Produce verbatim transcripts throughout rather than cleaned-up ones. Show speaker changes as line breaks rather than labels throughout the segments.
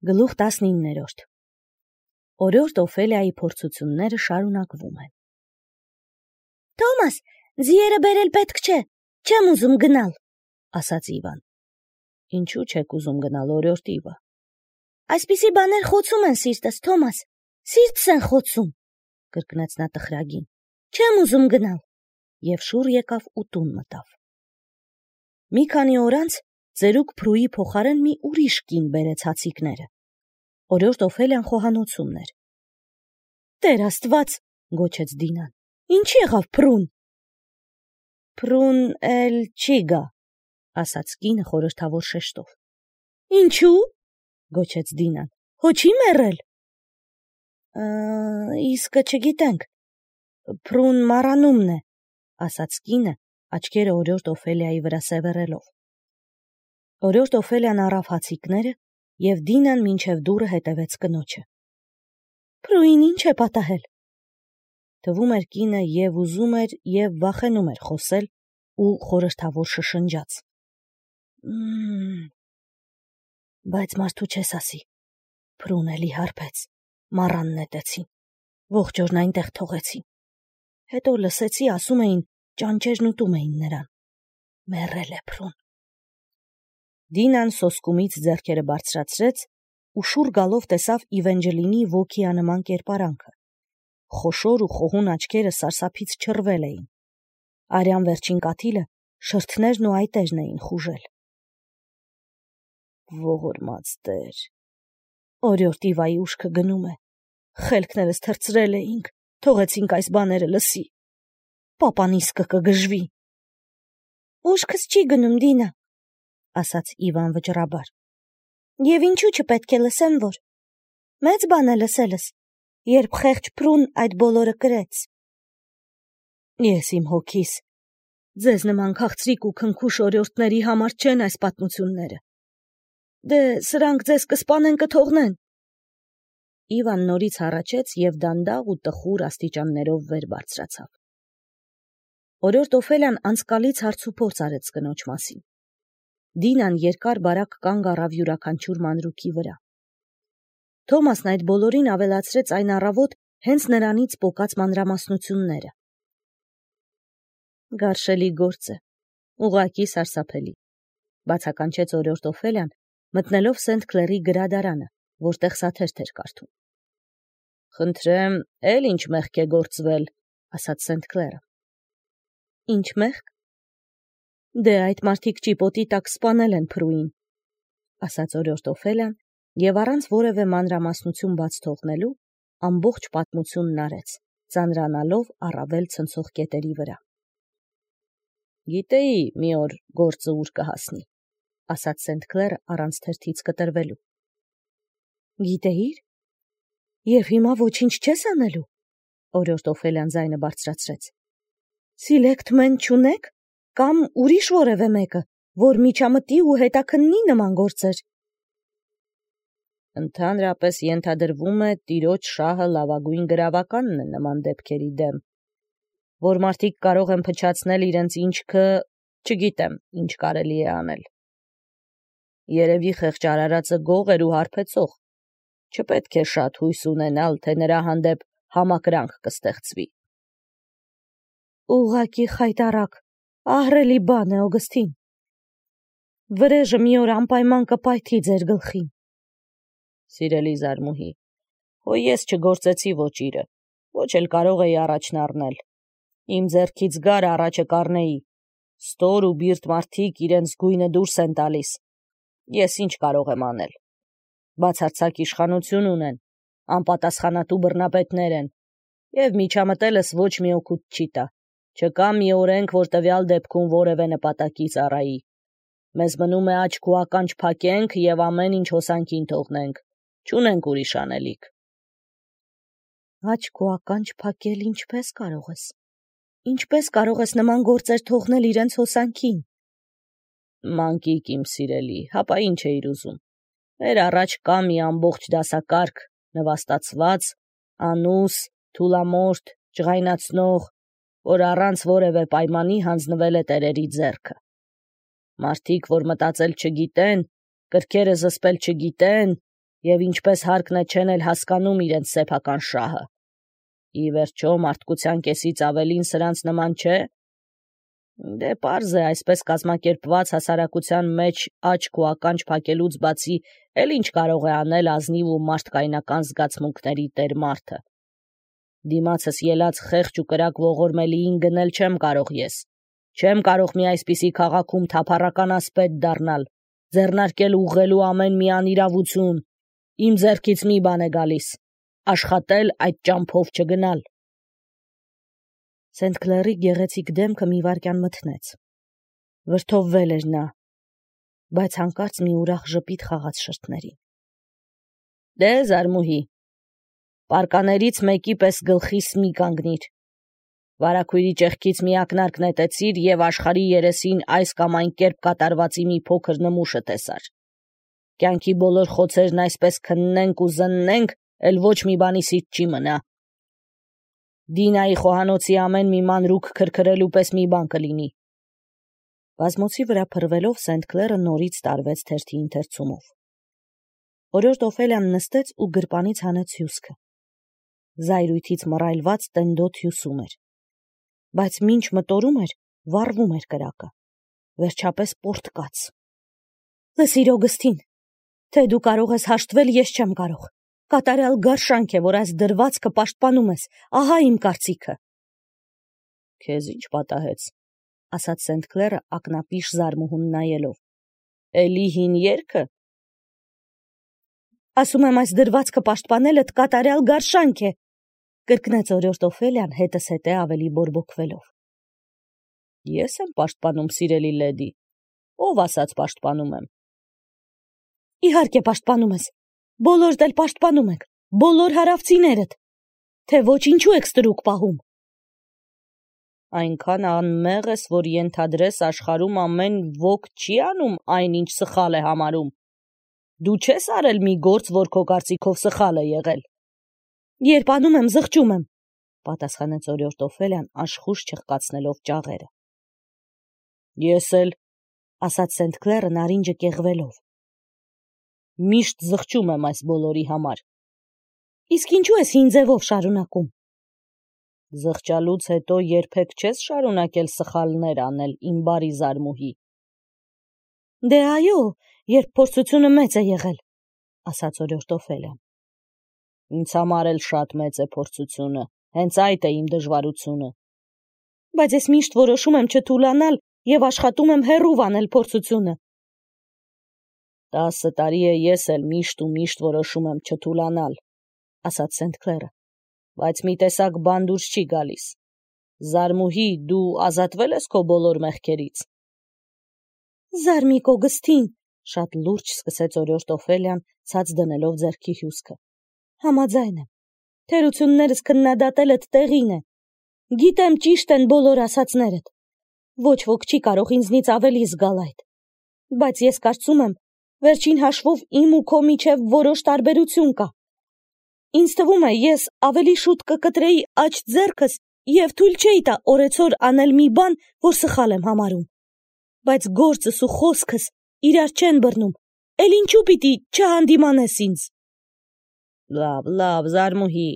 Գլուխ տասնիններորդ Օրորդ Օֆելիայի փորձությունները շարունակվում են։ Թոմաս, ձիերը բերել պետք չէ, չեմ ուզում գնալ, ասաց Իվան։ Ինչու չեք ուզում գնալ, օրորդ Իվա։ Այսպիսի բաներ խոցում են սիրտս, Թոմաս, սիրտս են խոցում, կրկնեց նա տխրագին։ Չեմ ուզում գնալ։ Եվ շուռ եկավ ու տուն մտավ։ Մի քանի օր անց ծերուկ Փրուի փոխարեն մի ուրիշ կին բերեց հացիկները։ Օրորդ Օֆելիան խոհանոցումն էր։ Տեր Աստված, գոչեց Դինան, ինչ եղավ Փրուն։ Փրուն էլ չի գա, ասաց կինը խորհրդավոր շեշտով։ Ինչու՞, գոչեց Դինան, հո չի մեռել։ Իսկը չգիտենք, Փրուն մառանումն է, ասաց կինը, աչքերը օրորդ Օֆելիայի վրա սևեռելով։ Օրորդ Օֆելիան առավ հացիկները և Դինան մինչև դուռը հետևեց կնոջը։ Փրուին ինչ է պատահել։ Թվում էր կինը և ուզում էր և վախենում էր խոսել ու խորհրդավոր շշնջաց։ Բայց մարդու չես ասի, Փրուն էլի հարբեց, մառան նետեցին, ողջ օրն այնտեղ թողեցին։ Հետո լսեցի, ասում էին, ճանճերն ուտում էին նրան։ Մեռել է Փրուն։ Դինան սոսկումից ձեռքերը բարձրացրեց ու շուռ գալով տեսավ Իվենջելինի ոգիանման կերպարանքը։ Խոշոր ու խոհուն աչքերը սարսափից չռվել էին։ Արյան վերջին կաթիլը շրթներն ու այտերն էին խուժել։ Ողորմած Տեր, օրորդ Իվայի ուշքը գնում է։ Խելքներս թրծրել էինք, թողեցինք այս բաները լսի։ Պապան իսկը կգժվի։ Ուշքս չի գնում, Դինա, ասաց Իվան վճռաբար։ Եվ ինչու չպետք է լսեմ, որ։ Մեծ բան է լսելս, երբ խեղճ Փրուն այդ բոլորը կրեց։ Ես իմ հոգիս, ձեզ նման քաղցրիկ ու քնքուշ օրորդների համար չեն այս պատմությունները։ Դե սրանք ձեզ կսպանեն կթողնեն։ Իվան նորից հառաչեց և դանդաղ ու տխուր աստիճաններով վեր բարձրացավ։ Օրորդ Օֆելիան անցկալից հարցուփորձ արեց կնոջ մասին։ Դինան երկար բարակ կանգ առավ յուրաքանչյուր մանրուքի վրա։ Թոմասն այդ բոլորին ավելացրեց այն առավոտ հենց նրանից պոկած մանրամասնությունները։ Գարշելի գործ է, ուղղակի սարսափելի, բացականչեց օրորդ Օֆելիան, մտնելով Սենթ Քլերի գրադարանը, որտեղ սաթերթ էր կարդում։ Խնդրեմ, էլ ինչ մեղք է գործվել, ասաց Սենթ Քլերը։ Ինչ մեղք։ Դե այդ մարդիկ ճիպոտի տակ սպանել են Փրուին, ասաց օրորդ Օֆելիան և առանց որևէ մանրամասնություն բաց թողնելու ամբողջ պատմությունն արեց, ծանրանալով առավել ցնցող կետերի վրա։ Գիտեի մի օր գործը ուր կհասնի, ասաց Սենթ Քլերը առանց թերթից կտրվելու։ Գիտեիր։ Եվ հիմա ոչինչ չես անելու, օրորդ Օֆելիան ձայնը բարձրացրեց։ Սիլեկտմեն չունեք, կամ ուրիշ որևէ մեկը, որ միջամտի ու հետաքննի նման գործեր։ Ընդհանրապես ենթադրվում է տիրոջ շահը լավագույն գրավականն է նման դեպքերի դեմ, որ մարդիկ կարող են փչացնել իրենց ինչքը, չգիտեմ, ինչ կարելի է անել։ Երևի խեղճ արարածը գող էր ու հարբեցող, չպետք է շատ հույս ունենալ, թե նրա հանդեպ համակրանք կստեղծվի։ Ուղղակի խայտառակ, ահռելի բան է, Օգստին։ Վրեժը մի օր անպայման կպայթի ձեր գլխին։ Սիրելի զարմուհի, հո ես չգործեցի ոճիրը, ոչ էլ կարող էի առաջն առնել։ Իմ ձեռքից գար առաջը կառնեի։ Ստոր ու բիրտ մարդիկ իրենց գույնը դուրս են տալիս։ Ես ինչ կարող եմ անել։ Բացարձակ իշխանություն ունեն, անպատասխանատու բռնապետներ են, և միջամտելս ոչ մի օգուտ չի տա։ Չկա մի օրենք, որ տվյալ դեպքում որևէ նպատակի ծառայի։ Մեզ մնում է աչք ու ականջ փակենք և ամեն ինչ հոսանքին թողնենք։ Չունենք ուրիշ անելիք։ Աչք ու ականջ փակել ինչպես կարող ես։ Ինչպես կարող ես նման գործեր թողնել իրենց հոսանքին։ Մանկիկ իմ սիրելի, հապա ինչ էիր ուզում։ Մեր առաջ կա մի ամբողջ դասակարգ, նվաստացված, անուս, թուլամորթ, ջղայնացնող, որ առանց որևէ պայմանի հանձնվել է տերերի ձեռքը։ Մարդիկ, որ մտածել չգիտեն, կրքերը զսպել չգիտեն, և ինչպես հարկն է չեն էլ հասկանում իրենց սեփական շահը։ Ի վերջո մարդկության կեսից ավելին սրանց նման չէ։ Դե պարզ է, այսպես կազմակերպված հասարակության մեջ աչք ու ականջ փակելուց բացի էլ ինչ կարող է անել ազնիվ ու մարդկայնական զգացմունքների տեր մարդը։ Դիմացս ելած խեղճ ու կրակ ողորմելիին գնել չեմ կարող ես։ Չեմ կարող մի այսպիսի քաղաքում թափառական ասպետ դառնալ, ձեռնարկել ուղղելու ամեն մի անիրավություն։ Իմ ձեռքից մի բան է գալիս՝ աշխատել այդ ճամփով չգնալ։ Սենթ Քլերի գեղեցիկ դեմքը մի վայրկյան մթնեց։ Վրդովվել էր նա, բայց հանկարծ մի ուրախ ժպիտ խաղաց շրթներին։ Դե զարմուհի, պարկաներից մեկի պես գլխիս մի կանգնիր։ Վարագույրի ճեղքից մի ակնարկ նետեցիր և աշխարհի երեսին այս կամ այն կերպ կատարվածի մի փոքր նմուշը տեսար։ Կյանքի բոլոր խոցերն այսպես քննենք ու զննենք, էլ ոչ մի բանից չի մնա։ Դինայի խոհանոցի ամեն մի մանրուք քրքրելու պես մի բան կլինի։ Բազմոցի վրա փռվելով Սենթ Քլերը նորից տարվեց թերթի ընթերցումով։ Օրիորդ Օֆելիան նստեց ու գրպանից հանեց հյուսքը։ Զայրույթից մռայլված տենդոտ հյուսում էր, բայց մինչ մտորում էր, վառվում էր կրակը։ Վերջապես պորտկաց։ Լսիր Օգստին, թե դու կարող ես հաշտվել, ես չեմ կարող։ Կատարյալ գարշանք է, որ այս դրվածքը պաշտպանում ես, ահա իմ կարծիքը։ Քեզ ինչ պատահեց, ասաց Սենթ Քլերը ակնապիշ զարմուհուն նայելով։ Էլի հին երգը։ Ասում եմ, այս դրվածքը պաշտպանելդ կատարյալ գարշանք է, կրկնեց օրիորդ Օֆելիան հետզհետե ավելի բորբոքվելով։ Ես եմ պաշտպանում, սիրելի լեդի, ով ասաց պաշտպանում եմ։ Իհարկե պաշտպանում ես, բոլորդ էլ պաշտպանում եք, բոլոր հարավցիներդ, թե ոչ ինչու եք ստրուկ պահում։ Այնքան անմեղ ես, որ ենթադրես աշխարհում ամեն ոք չի անում այն, ինչ սխալ է համարում։ Դու չես արել մի գործ, որ քո կարծիքով սխալ է եղել։ Երբ անում եմ, զղջում եմ, պատասխանեց օրիորդ Օֆելիան աշխույժ չխկացնելով ճաղերը։ Ես էլ, ասաց Սենթ Քլերը նարինջը կեղվելով։ Միշտ զղջում եմ այս բոլորի համար։ Իսկ ինչու ես հին ձևով շարունակում։ Զղջալուց հետո երբեք չես շարունակել սխալներ անել, իմ բարի զարմուհի։ Դե այո, երբ փորձությունը մեծ է եղել, ասաց օրիորդ Օֆելիան։ Ինձ համար էլ շատ մեծ է փորձությունը, հենց այդ է իմ դժվարությունը։ Բայց ես միշտ որոշում եմ չթուլանալ և աշխատում եմ հեռու անել փորձությունը։ Տասը տարի է ես էլ միշտ ու միշտ որոշում եմ չթուլանալ, ասաց Սենթ Քլերը, բայց մի տեսակ բան դուրս չի գալիս։ Զարմուհի, դու ազատվել ես քո բոլոր մեղքերից։ Զարմիկ Օգստին, շատ լուրջ սկսեց օրիորդ Օֆելիան, ցած դնելով ձեռքի հյուսքը։ Համաձայն եմ, թերություններս քննադատելդ տեղին է։ Գիտեմ ճիշտ են բոլոր ասածներդ։ Ոչ ոք չի կարող ինձնից ավելի զգալ այդ։ Բայց ես կարծում եմ, վերջին հաշվով իմ ու քո միջև որոշ տարբերություն կա։ Ինձ թվում է, ես ավելի շուտ կկտրեի աջ ձեռքս և թույլ չէի տա օրեցօր անել մի բան, որ սխալ եմ համարում։ Բայց գործս ու խոսքս իրար չեն բռնում, էլ ինչու պիտի չհանդիմանես ինձ։ Լավ, լավ, զարմուհի,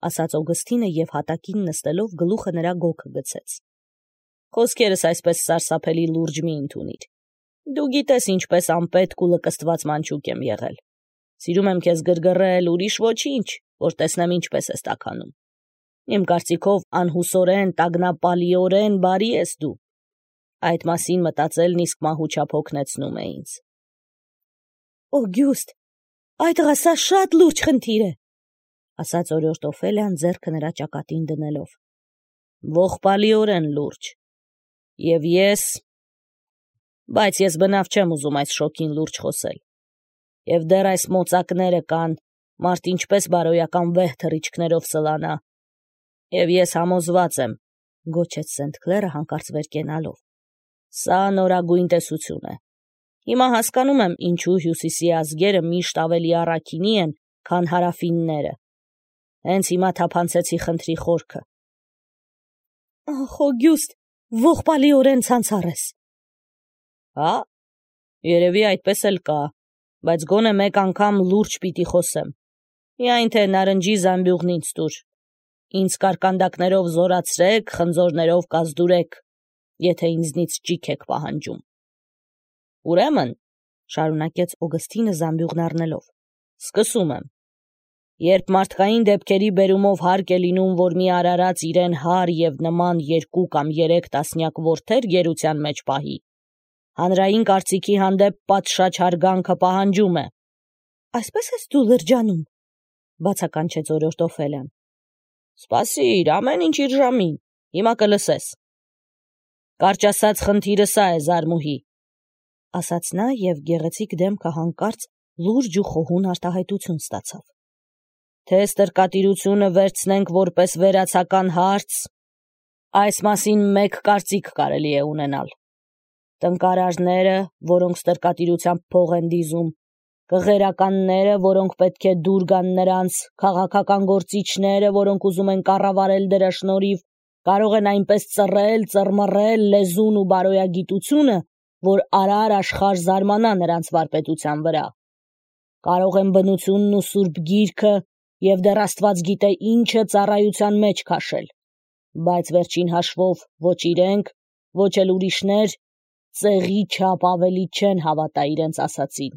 ասաց Օգստինը և հատակին նստելով գլուխը նրա գոգը գցեց։ Խոսքերս այսպես սարսափելի լուրջ մի ընդունիր։ Դու գիտես ինչպես անպետք ու լկստված մանչուկ եմ եղել։ Սիրում եմ քեզ գրգռել, ուրիշ ոչինչ, որ տեսնեմ ինչպես ես տաքանում։ Իմ կարծիքով անհուսորեն, տագնապալիորեն բարի ես դու։ Այդ մասին մտածելն իսկ մահուչափ հոգնեցնում է ինձ։ Օգյուստ, այդ ղասա շատ լուրջ խնդիր է, ասաց օրիորդ Օֆելիան ձեռքը նրա ճակատին դնելով։ Ողբալիորեն լուրջ։ Եվ ես… Բայց ես բնավ չեմ ուզում այս շոկին լուրջ խոսել։ Եվ դեռ այս մոծակները կան, մարդ ինչպես բարոյական վեհ թռիչքներով սլանա։ Եվ ես համոզված եմ, գոչեց Սենթ Քլերը հանկարծ վեր կենալով։ Սա նորագույն տեսություն է։ Հիմա հասկանում եմ, ինչու հյուսիսի ազգերը միշտ ավելի առաքինի են, քան հարավինները։ Հենց հիմա թափանցեցի խնդրի խորքը։ Ախ, Օգյուստ, ողբալիորեն ցանցառ ես։ Հա, երևի այդպես էլ կա, բայց գոնե մեկ անգամ լուրջ պիտի խոսեմ։ Միայն թե նարնջի զամբյուղն ինձ տուր։ Ինձ կարկանդակներով զորացրեք, խնձորներով կազդուրեք, եթե ինձնից ճիք եք պահանջում։ Ուրեմն, շարունակեց Օգստինը զամբյուղն առնելով, սկսում եմ։ Երբ մարդկային դեպքերի բերումով հարկ է լինում, որ մի արարած իրեն հար և նման երկու կամ երեք տասնյակ որդեր գերության մեջ պահի, հանրային կարծիքի հանդեպ պատշաճ հարգանքը պահանջում է։ Այսպես ես դու լրջանում, բացականչեց օրորդ Օֆելիան։ Սպասիր, ամեն ինչ իր ժամին, հիմա կլսես։ Կարճ ասած, խնդիրը սա է, Զարմուհի, ասաց նա և գեղեցիկ դեմքը հանկարծ լուրջ ու խոհուն արտահայտություն ստացավ։ Թե ստրկատիրությունը վերցնենք որպես վերացական հարց, այս մասին մեկ կարծիք կարելի է ունենալ։ Տնկարարները, որոնք ստրկատիրությամբ փող են դիզում, կղերականները, որոնք պետք է դուր գան նրանց, քաղաքական գործիչները, որոնք ուզում են կառավարել դրա շնորհիվ, կարող են այնպես ծռել, ծռմռել լեզուն ու բարոյագիտությունը, որ արար աշխարհ զարմանա նրանց վարպետության վրա։ Կարող են բնությունն ու սուրբ գիրքը և դեռ Աստված գիտե ինչը ծառայության մեջ քաշել, բայց վերջին հաշվով ոչ իրենք, ոչ էլ ուրիշներ ծեղի չափ ավելի չեն հավատա իրենց ասածին։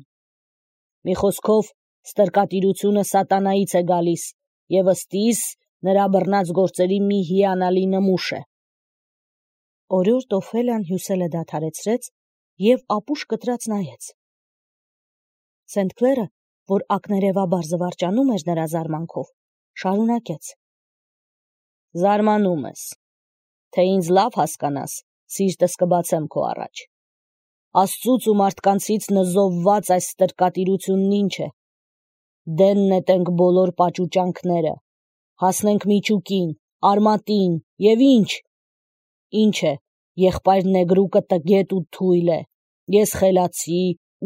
Մի խոսքով, ստրկատիրությունը սատանայից է գալիս և ըստիս նրա բռնած գործերի մի հիանալի նմուշ է։ Օրորդ Օֆելիան հյուսելը դադարեցրեց և ապուշ կտրած նայեց։ Սենթ Քլերը, որ ակներևաբար զվարճանում էր նրա զարմանքով, շարունակեց. Զարմանում ես, թե ինձ լավ հասկանաս, սիրտս կբացեմ քո առաջ։ Աստծուց ու մարդկանցից նզովված այս ստրկատիրությունն ինչ է։ Դեն նետենք բոլոր պաճուճանքները, հասնենք միջուկին, արմատին և ինչ։ Ինչ է, եղբայր նեգրուկը տգետ ու թույլ է, ես խելացի,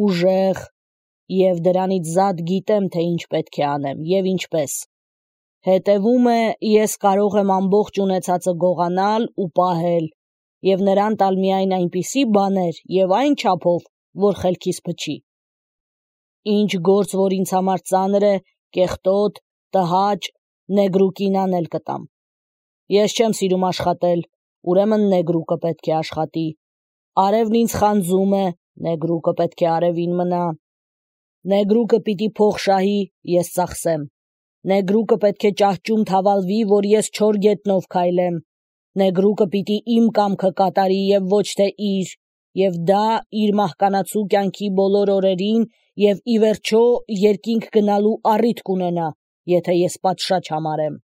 ուժեղ, և դրանից զատ գիտեմ, թե ինչ պետք է անեմ և ինչպես։ Հետևում է, ես կարող եմ ամբողջ ունեցածը գողանալ ու պահել և նրան տալ միայն այնպիսի բաներ և այն չափով, որ խելքիս փչի։ Ինչ գործ, որ ինձ համար ծանր է, կեղտոտ, տհաճ, նեգրուկին անել կտամ։ Ես չեմ սիրում աշխատել, ուրեմն նեգրուկը պետք է աշխատի։ Արևն ինձ խանձում է, նեգրուկը պետք է արևին մնա։ Նեգրուկը պիտի փող շահի, ես ծախսեմ։ Նեգրուկը պետք է ճահճում թավալվի, որ ես չոր գետնով քայլեմ։ Նեգրուկը պիտի իմ կամքը կատարի և ոչ թե իր, և դա իր մահկանացու կյանքի բոլոր օրերին և ի վերջո երկինք գնալու առիթ կունենա, եթե ես պատշաճ համարեմ։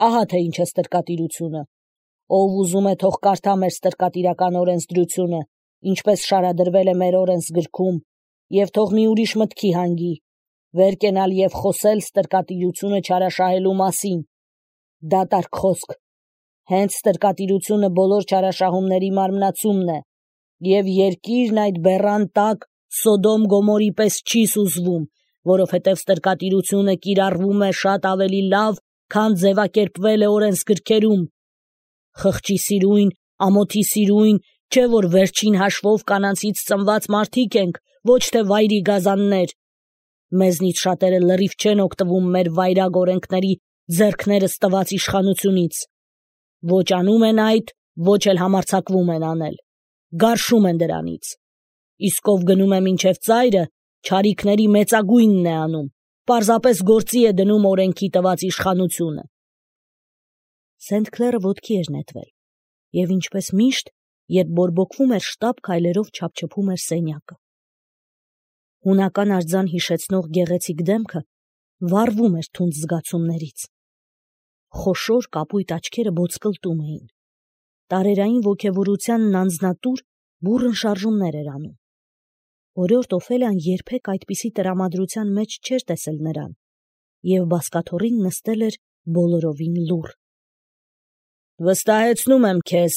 Ահա թե ինչ է ստրկատիրությունը։ Ով ուզում է, թող կարդա մեր ստրկատիրական օրենսդրությունը, ինչպես շարադրվել է մեր օրենսգրքում, և թող մի ուրիշ մտքի հանգի, վեր կենալ և խոսել ստրկատիրությունը չարաշահելու մասին։ Դատարկ խոսք։ Հենց ստրկատիրությունը բոլոր չարաշահումների մարմնացումն է, և երկիրն այդ բեռան տակ Սոդոմ Գոմորի պես չի սուզվում, որովհետև ստրկատիրությունը կիրառվում է շատ ավելի լավ, քան ձևակերպվել է օրենսգրքերում։ Խղճի սիրույն, ամոթի սիրույն, չէ որ վերջին հաշվով կանանցից ծնված մարդիկ ենք, ոչ թե վայրի գազաններ։ Մեզնից շատերը լրիվ չեն օգտվում մեր վայրագ օրենքների ձեռքներս տված իշխանությունից։ Ոչ անում են այդ, ոչ էլ համարձակվում են անել։ Գարշում են դրանից։ Իսկ ով գնում է մինչև ծայրը, չարիքների մեծագույնն է անում, պարզապես գործի է դնում օրենքի տված իշխանությունը։ Սենթ Քլերը ոտքի էր նետվել, և ինչպես միշտ, երբ բորբոքվում էր շտապ քայլերով չափչփում էր սենյակը։ Հունական արձան հիշեցնող գեղեցիկ դեմքը վառվում էր թունդ զգացումներից։ Խոշոր կապույտ աչքերը բոցկլտում էին։ Տարերային ոգևորությանն անձնատուր բուռն շարժումներ էր անում։ Օրորդ Օֆելիան երբեք այդպիսի տրամադրության մեջ չէր տեսել նրան, և բազկաթոռին նստել էր բոլորովին լուռ։ Վստահեցնում եմ քեզ,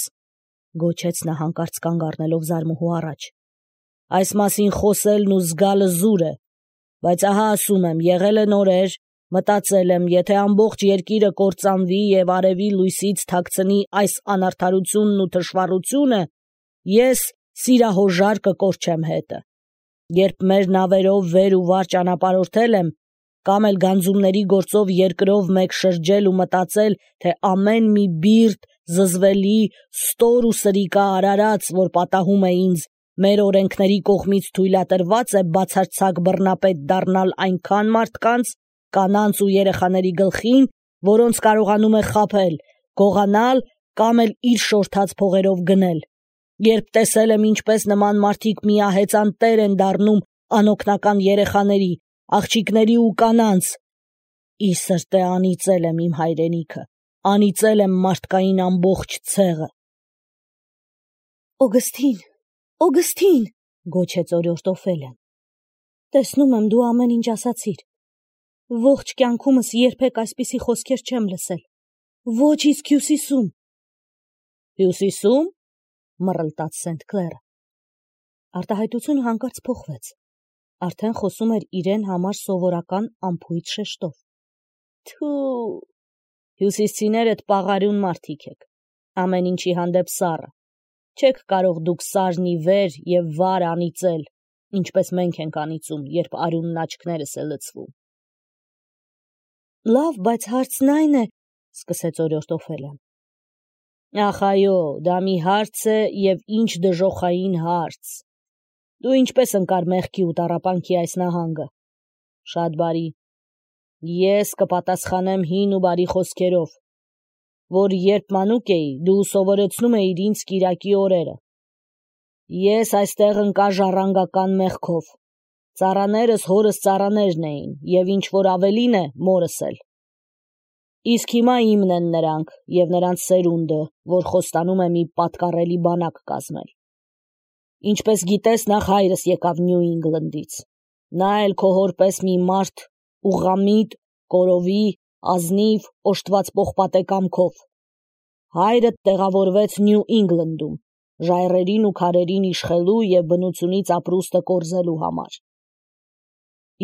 գոչեց նա հանկարծ կանգ առնելով Զարմուհու առաջ, այս մասին խոսելն ու զգալը զուր է, բայց ահա ասում եմ, եղել են օրեր, մտածել եմ, եթե ամբողջ երկիրը կործանվի և արևի լույսից թաքցնի այս անարդարությունն ու թշվառությունը, ես սիրահոժար կկորչեմ հետը։ Երբ մեր նավերով վեր ու վար ճանապարհորդել եմ, կամ էլ գանձումների գործով երկրով մեկ շրջել ու մտածել, թե ամեն մի բիրտ, զզվելի, ստոր ու սրիկա արարած, որ պատահում է ինձ, մեր օրենքների կողմից թույլատրված է բացարձակ բռնապետ դառնալ այնքան մարդկանց, կանանց ու երեխաների գլխին, որոնց կարողանում է խաբել, գողանալ կամ էլ իր շորթած փողերով գնել։ Երբ տեսել եմ, ինչպես նման մարդիկ միահեծան տեր են դառնում անօգնական երեխաների, աղջիկների ու կանանց, ի սրտե անիծել եմ իմ հայրենիքը, անիծել եմ մարդկային ամբողջ ցեղը։ Օգստին, Օգստին, գոչեց օրիորդ Օֆելիան, տեսնում եմ դու ամեն ինչ ասացիր։ Ողջ կյանքումս երբեք այսպիսի խոսքեր չեմ լսել, ոչ իսկ Հյուսիսում։ Հյուսիսում, մռլտաց Սենթ Քլերը։ Արտահայտությունը հանկարծ փոխվեց, արդեն խոսում էր իրեն համար սովորական անփույթ շեշտով։ Թու, հյուսիսցիները տպաղարուն մարդիկ եք, ամեն ինչի հանդեպ սառը, չեք կարող դուք սարն ի վեր և վար անիծել, ինչպես մենք ենք անիծում, երբ արյունն աչքներս է լցվում։ Լավ, բայց հարցն այն է, սկսեց օրիորդ Օֆելիան։ Ախ այո, դա մի հարց է և ինչ դժոխային հարց։ Դու ինչպես ընկար մեղքի ու տառապանքի այս նահանգը։ Շատ բարի։ Ես կպատասխանեմ հին ու բարի խոսքերով, որ երբ մանուկ էի, դու սովորեցնում էիր ինձ կիրակի օրերը։ Ես այստեղ ընկա ժառանգական մեղքով։ Ծառաներս հորս ծառաներն էին, և ինչ որ ավելին է, մորս էլ։ Իսկ հիմա իմն են նրանք և նրանց սերունդը, որ խոստանում է մի պատկառելի բանակ կազմել։ Ինչպես գիտես, նախ հայրս եկավ Նյու Ինգլնդից։ Նա էլ քո հոր պես մի մարդ ուղղամիտ, կորովի, ազնիվ, օժտված պողպատե կամքով։ Հայրդ տեղավորվեց Նյու Ինգլնդում, ժայռերին ու քարերին իշխելու և բնությունից ապրուստը կորզելու համար։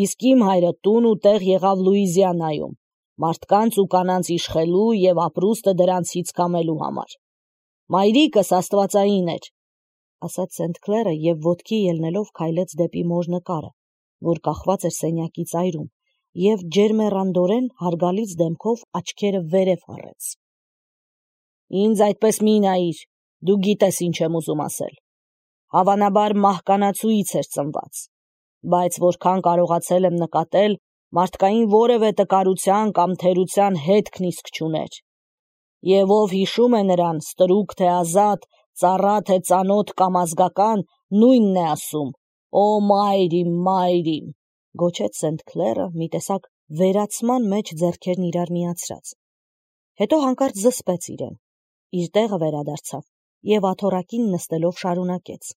Իսկ իմ հայրը տուն ու տեղ եղավ Լուիզիանայում, մարդկանց ու կանանց իշխելու և ապրուստը դրանցից կամելու համար։ Մայրիկս աստվածային էր, ասաց Սենթ Քլերը և ոտքի ելնելով քայլեց դեպի մոր նկարը, որ կախված էր սենյակի ծայրում, և ջերմեռանդորեն հարգալից դեմքով աչքերը վերև հառեց։ Ինձ այդպես մի նայիր, դու գիտես ինչ եմ ուզում ասել։ Հավանաբար մահկանացուից էր ծնված, բայց որքան կարողացել եմ նկատել, մարդկային որևէ տկարության կամ թերության հետքն իսկ չուներ։ Եվ ով հիշում է նրան, ստրուկ թե ազատ, ծառա թե ծանոթ կամ ազգական, նույնն է ասում. «Օ մայր իմ, մայր իմ», գոչեց Սենթ Քլերը մի տեսակ վերացման մեջ ձեռքերն իրար միացրած։ Հետո հանկարծ զսպեց իրեն, իր տեղը վերադարձավ և աթոռակին նստելով շարունակեց.